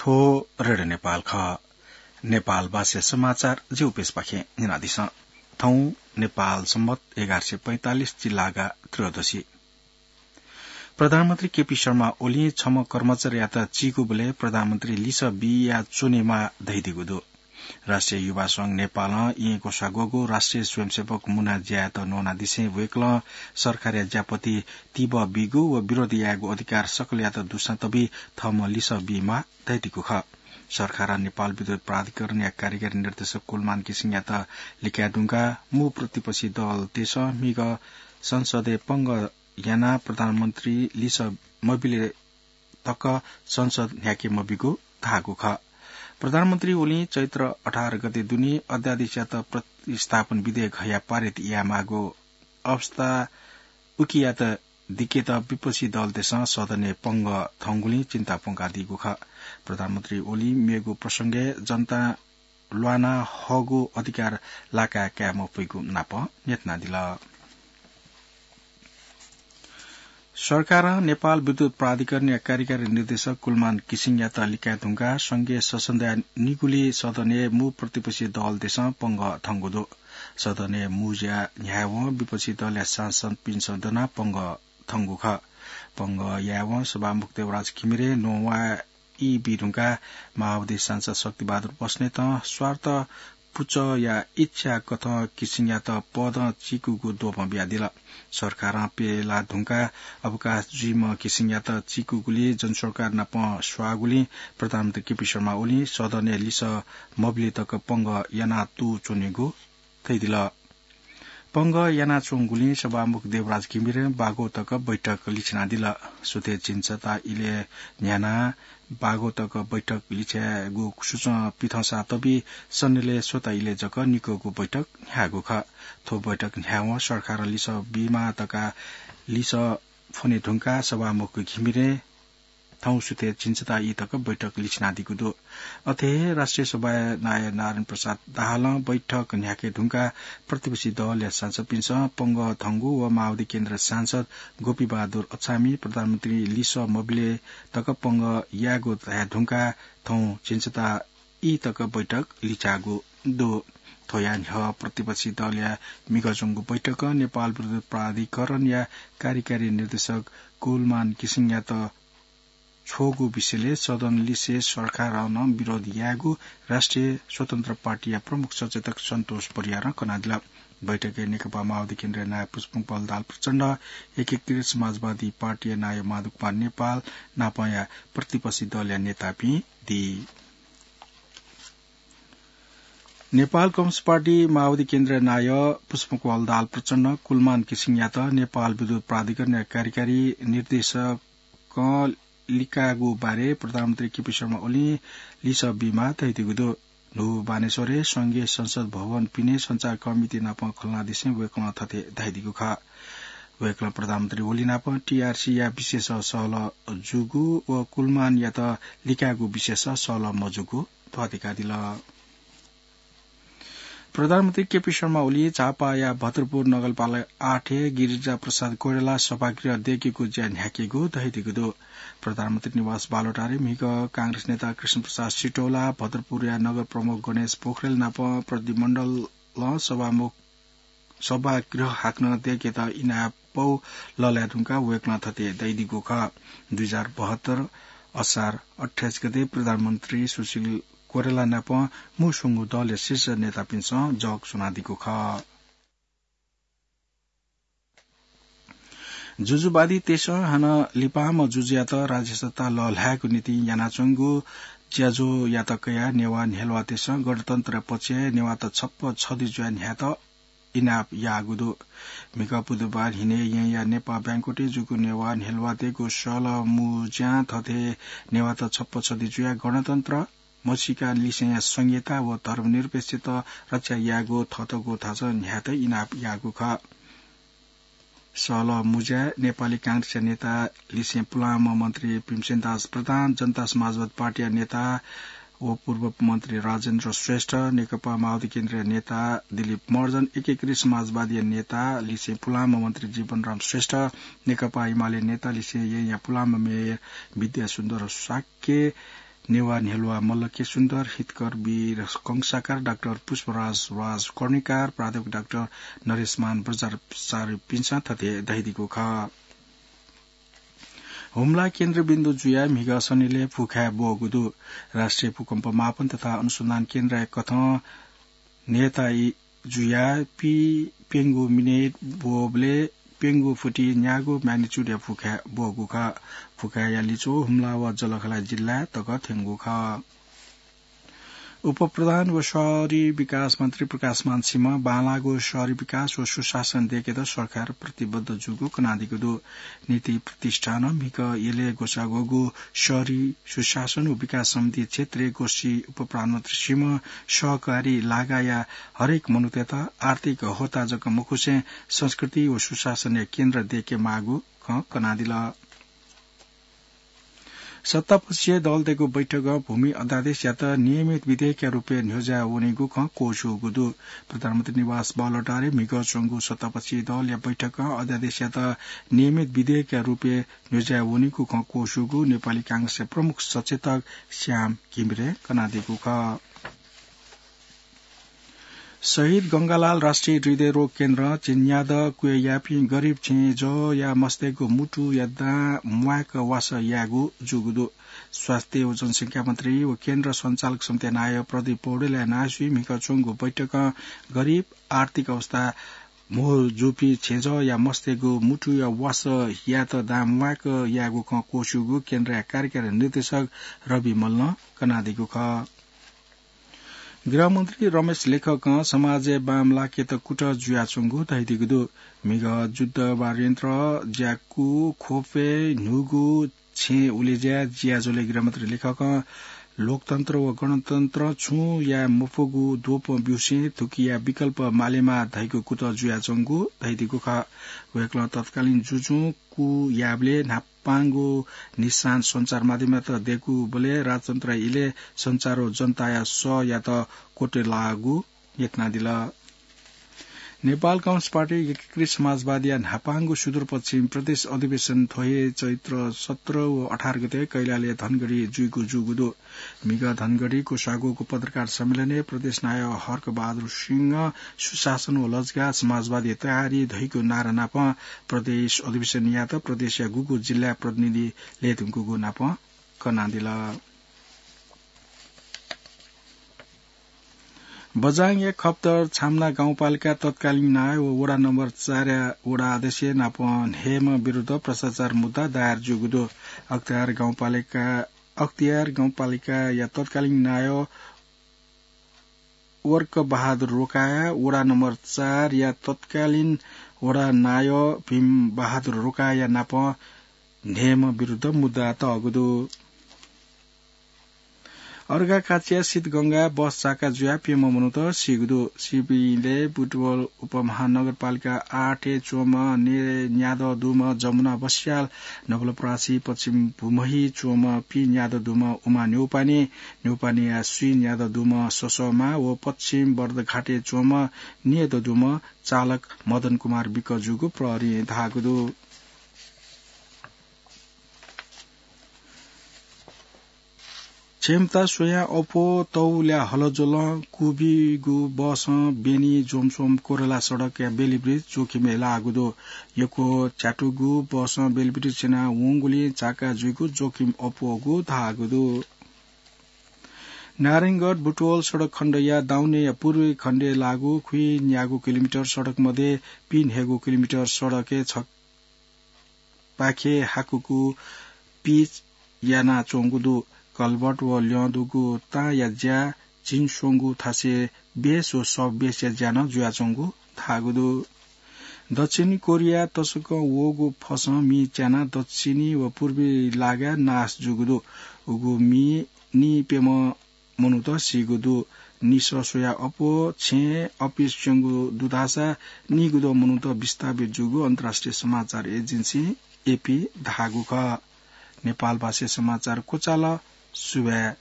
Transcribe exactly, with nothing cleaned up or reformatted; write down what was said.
थ्व रेडियो नेपाल खः। नेपाल भाषा समाचार ज्यू पेसपाखें न्यनादिसँ। थौं नेपाल सम्बत एघार सय पैंतालिस जिल्लागा त्रयोदशी। प्रधानमन्त्री केपी शर्मा ओलीं छम्ह कर्मचारीयात चीकूबलय् प्रधानमन्त्री लिसः बिया च्वनेमाः धयादीगु दु। राष्ट्रिय युवा संघ नेपालं येँ ग्वसाः ग्वःगु राष्ट्रिय स्वयंसेवक मुना ज्यायात न्वनादिसें वय्कलं सरकारया ज्यापति तिबः बीगु व विरोध यायेगु अधिकार सकलयात दुसां तबी थःम्हं लिसः बीमाः धयादीगु खः। सरकारं नेपाल विद्युत प्राधिकरणया कार्यकारी निर्देशक कुलमान किसिङयात लिकाये धुंकाः मू प्रतिपक्षी दलतय्सं म्हिगः संसदय् पंगः यानाः प्रधानमन्त्री लिसः मबिले तक संसद न्ह्याके मबीगु धाःगु खः। प्रधानमन्त्री ओलीं चैत्र अठार गते दुने अध्यादेशयात प्रतिस्थापन विधेयक हयाः पारित यायेमाःगु अवस्था उकियात दिकेत विपक्षी दलतय्सं सदनय् पंगः थंगुलिं चिन्ता प्वंकादीगु खः। प्रधानमन्त्री ओलीं मेगु प्रसंगय् जनतां ल्वाना हःगु अधिकार लाका काये मफइगु नाप न्ह्यथनादिल। सरकारं नेपाल विद्युत प्राधिकरणया कार्यकारी निर्देशक कुलमान किसिङयात लिकाये धुंकाः संघीय संसदया निगुली सदनय् मू प्रतिपक्षी दलतय्सं पंगः थंगु दु। सदनय् मू ज्या न्ह्यायेवं विपक्षी दलया सांसदपिन्सं दनाः पंगः थंगु खः। पंगः यायेवं सभामुख देवराज घिमिरे नवाः ई बी धुंकाः माओवादी सांसद शक्तिबहादुर बस्नेतं स्वार्थ पुचःया इच्छा कथं किसिङयात पदं चीकूगु द्वपं बियादिल। सरकारं प्यला धुंकाः अवकाश जुइम्ह किसिङयात चीकूगुलिं जनसरोकार नाप स्वाःगुलिं प्रधानमन्त्री केपी शर्मा ओलीं सदनय् लिसः मबिले तक पंगः याना तू च्वनेगु धयादिल। पंगः यानाच्वंगुलिं सभामुख देवराज घिमिरें बागो तक बैठक लिछिनादिल। सुथय् झिंछता इलय् न्ह्यानाः बागो तक बैठक लिछ्यायेगु सुचं पिथंसा तबी सन्नेलय् स्वता इलय् जक निकःगु बैठक न्ह्याःगु खः। थ्व बैठक न्ह्यावं सरकारं लिसः बीमाः धकाः लिसः फ्वने धुंकाः सभामुख घिमिरें थौं सुथय् झिंछता ई तक बैठक लिछिनादीगु दु। अथे हे राष्ट्रिय सभाया नायः नारायण प्रसाद दाहालं बैठक न्ह्याके धुंकाः प्रतिपक्षी दलया सांसदपिन्सं पंगः थंगु व माओवादी केन्द्र सांसद गोपीबहादुर अछामी प्रधानमन्त्री लिसः मबिले तक पंगः यायेगु धाये धुंकाः थौं झिंछता ई तक बैठक लिछ्याःगु दु। थ्वया न्ह्यः प्रतिपक्षी दलया म्हिगः च्वंगु बैठकं नेपाल विद्युत प्राधिकरणया कार्यकारी निर्देशक कुलमान किसिङयात छ्वःगु विषयलय् सदन लिसे सरकारं नं विरोध यायेगु राष्ट्रिय स्वतन्त्र पार्टीया प्रमुख सचेतक सन्तोष परियारं कनादिल। बैठकय् नेकपा माओवादी केन्द्रया नायः पुष्पकमल दाहाल प्रचण्ड, एकीकृत समाजवादी पार्टीया नायः माधव कुमार नेपाल नापंया प्रतिपक्षी दलया नेतापिं दी। नेपाल कम्युनिस्ट पार्टी माओवादी केन्द्रया नायः पुष्पकमल दाहाल प्रचण्डं कुलमान किसिङयात नेपाल विद्युत प्राधिकरणया कार्यकारी निर्देशकं लिकाःगु बारे प्रधानमन्त्री केपी शर्मा ओलीं लिसः बीमाः धयादीगु दु। न्हू बानेश्वरय् संघीय संसद भवन पिने सञ्चार कमिटी नाप खँल्हानादिसें वय्कलं थथे धयादीगु खः। वय्कलं प्रधानमन्त्री ओली नाप टीआरसीया विषयस सहलह जूगु व कुलमानयात लिकाःगु विषयस सहलह मजूगु ध्वाथुइकादिल। प्रधानमन्त्री केपी शर्मा ओली झापाया भद्रपुर नगरपालिका आठय् गिरिजा प्रसाद कोइराला सभागृह दय्केगु ज्या न्ह्याकेगु धयादीगु दु। प्रधानमन्त्री निवास बालुवाटारय् म्हिगः कांग्रेस नेता कृष्ण प्रसाद सिटौला, भद्रपुरया नगर प्रमुख गणेश पोखरेल नाप प्रतिनिधिमण्डलं सभामुख सभागृह हाकनं दय्केत इनाप पौ लःल्हाये धुंकाः वय्कलं थथे धयादीगु खः। दुई हजार बहत्तर असार अट्ठाइस गते प्रधानमन्त्री सुशील कोइराला नाप मू स्वंगू दलया शीर्ष नेतापिन्सं जग स्वनादीगु खः। जुजुवादीतय्सं हानं लिपांम्ह जुजुयात राज्यसत्ता लःल्हायेगु निंतिं यानाच्वंगु ज्याझ्वःयात कयाः नेवाः न्ह्यलुवातय्सं गणतन्त्रया पक्षय् नेवाःत छप्पँ छधि जुयाः न्ह्यायेत इनाप याःगु दु। म्हिगः बुधबार न्हिनय् येँया नेपाः बैंक्वेटय् जूगु नेवाः न्ह्यलुवातय्गु सहलह मुँज्यां थथे नेवाःत छप्पँ छधि जुयाः गणतन्त्र, म्हसीका लिसेंया संघीयता व धर्मनिरपेक्षता रक्षा यायेगु थःतःगु थासं न्ह्यायेत इनाप याःगु खः। सहलह मुँज्याय् नेपाली कांग्रेसया नेता लिसें पुलांम्ह मन्त्री भीमसेन दास प्रधान, जनता समाजवादी पार्टीया नेता व पूर्व मन्त्री राजेन्द्र श्रेष्ठ, नेकपा माओवादी केन्द्रया नेता दिलीप महर्जन, एकीकृत समाजवादीया नेता लिसें पुलांम्ह मन्त्री जीवनराम श्रेष्ठ, नेकपा एमाले नेता लिसें येँया पुलांम्ह मेयर विद्यासुन्दर शाक्य, नेवाः न्ह्यलुवा मल्ल के सुन्दर, हितकर वीर कंसाकार, डाक्टर पुष्पराज राज कर्णिकार, प्राध्यापक डाक्टर नरेशमान बज्राचार्यपिन्सं थथे धयादीगु खः। हुम्ला केन्द्रबिन्दु जुयाः म्हिगः सनिलय् फुखाय् ब्वःगु दु। राष्ट्रिय भूकम्प मापन तथा अनुसन्धान केन्द्रया कथं न्हय्‌ताइ जुयाः पि प्यंगू मिनेट ब्वःबलय् प्यंगू फुति न्यागू magnitude-या फुखाय् ब्वःगु खः। फुखाय्‌या लिच्वः हुम्ला व जलखला जिल्ला तक थ्यंगु खः। उपप्रधान व शहरी विकास मन्त्री प्रकाशमान सिंहं बांलाःगु शहरी विकास व सुशासन दय्‌केत सरकार प्रतिबद्ध जूगु कनादीगु दु। नीति प्रतिष्ठानं म्हिगः यलय् ग्वसाः ग्वःगु शहरी सुशासन व विकास सम्बन्धी क्षेत्रीय गोष्ठी उपप्रधानमन्त्री सिंहं सहकारी लागाया हरेक मनूतय्‌त आर्थिक होता जक मखुसें संस्कृति व सुशासनया केन्द्र दय्‌के माःगु खँ कनादिल। सत्तापक्षीय दलतय्‌गु बैठकं भूमि अध्यादेशयात नियमित विधेयकया रूपय् न्ह्यज्याः वनीगु खँ क्वछुगु दु। प्रधानमन्त्री निवास बालुवाटारय् म्हिगः च्वंगु सत्तापक्षीय दलया बैठकं अध्यादेशयात नियमित विधेयकया रूपय् न्ह्यज्याः वनीगु खँ क्वछुगु नेपाली कांग्रेसया प्रमुख सचेतक श्याम घिमिरें कनादीगु खः। शहीद गंगालाल राष्ट्रिय हृदयरोग केन्द्रं झिंन्यादँ क्वय् याःपिं गरिब छेँजःया मस्तय्‌गु मुटुया दां म्वाय्‌क वासः यायेगु जूगु दु। स्वास्थ्य व जनसंख्या मन्त्री व केन्द्र सञ्चालक समितिया नायः प्रदीप पौडेलया नायःसुइ म्हिगः च्वंगु बैठकं गरिब, आर्थिक अवस्था म्हो जूपिं छेँजःया मस्तय्‌गु मुटुया वासः यायेत दां म्वाय्‌क यायेगु खँ क्वछुगु केन्द्रया कार्यकारी निर्देशक रवि मल्लं कनादीगु खः। गृहमन्त्री रमेश लेखकं समाजय् बांमलाकेत कुतः जुयाच्वंगु धयादीगु दु। म्हिगः जुद्ध वा ऋणत्र ज्याकू ख्वपय् न्हूगु छेँ उलेज्या जियाजुलय् गृहमन्त्री लेखकं लोकतन्त्र व गणतन्त्रं छुं याये मफुगु द्वपं ब्यूसें थुकिया विकल्प मालेमा धइगु कुतः जुयाच्वंगु धयादीगु खः। वय्‌कलं तत्कालीन जुजुं कू याःबलय् न्हापांगु निशान सञ्चार माध्यमयात दय्‌कूबलय् राजतन्त्रया इलय् सञ्चार व जनताया सःयात क्वतुलाःगु यत्नादिल। नेपाल कम्युनिस्ट पार्टी एकीकृत समाजवादीया न्हापांगु सुदूरपश्चिम प्रदेश अधिवेशन थ्व हे चैत्र सत्र व अठार गते कैलालय् धनगढी जुइगु जूगु दु। म्हिगः धनगढी क्वसाःगु पत्रकार सम्मेलनय् प्रदेश नायः हर्कबहादुर सिंहं सुशासन व लजगाः समाजवादी तयारी धइगु नारा नापं प्रदेश अधिवेशनयात प्रदेशया गुगु जिल्लाया प्रतिनिधि लय्‌धुंकूगु नापं कनादिल। बझाङया खप्तर छाम्ना गाउँपालिका तत्कालीन नायः व वडा नम्बर चारया वडा अध्यक्ष नाप न्हय्‌म्ह विरुद्ध भ्रष्टाचार मुद्दा दायर जूगु दु। अख्तियार गाउँपालिका, अख्तियार गाउँपालिकाया तत्कालीन नायः वर्क बहादुर रोकाया, वडा नम्बर चारया तत्कालीन वडा नायः भीम बहादुर रोकाया नाप न्हय्‌म्ह विरुद्ध मुद्दा तःगु दु। अर्घाखाँचिया सिद्धगंगा बस चाका जुयाः प्यम्ह मनूत सीगु दु। सीपिंलय् बुटवल उपमहानगरपालिका आठय् च्वंम्ह ने न्यादँ दुम्ह जमुना बस्याल, नवलपरासी पश्चिम भुमहि च्वंम्ह पि न्यादँ दुम्ह उमा न्यौपाने, न्यौपानेया स्वी न्यादँ दुम्ह ससःमा व पश्चिम बर्दघाटय् च्वंम्ह न्यदँ दुम्ह चालक मदन कुमार विक जूगु प्रहरीं धाःगु दु। क्षमता स्वयां अप्वः तौल्या हलज्वलं कुबिगु बसं बेनी ज्वमस्वम कोरला सडकया बेलिब्रिज जोखिमय् लाःगु दु। यक्व च्यातुगु बसं बेलिब्रिज स्यना वंगुलिं चाका जुइगु जोखिम अप्वःगु धाःगु दु। नारायणगढ बुटवल सडक खण्डया दाउनेया पूर्वी खण्डय् लाःगु खुइन्यागू किलोमिटर सडक मध्ये पीन्हय्‌गू किलोमिटर सडकय् छ पाखे हाकुगु पिच यानाच्वंगु दु। कलभट व ल्यं दुगु तांया ज्या झिंस्वंगू थासय् बेस व सबबेसया ज्या नं जुयाच्वंगु धाःगु दु। दक्षिणी कोरिया तसकं वःगु फसं मि च्यानाः दक्षिणी व पूर्वी लागाय् नाश जूगु दु। उगु मि नीप्यम्ह मनूत सीगु दु। निसः स्वयाः अप्वः छेँय् अफिस च्वंगु दु धाःसा नीगुद्वः मनूत विस्थापित जूगु अन्तर्राष्ट्रिय समाचार एजेन्सी एपी धाःगु खः। नेपालभाषाया समाचार क्वचाल। सुभाय्।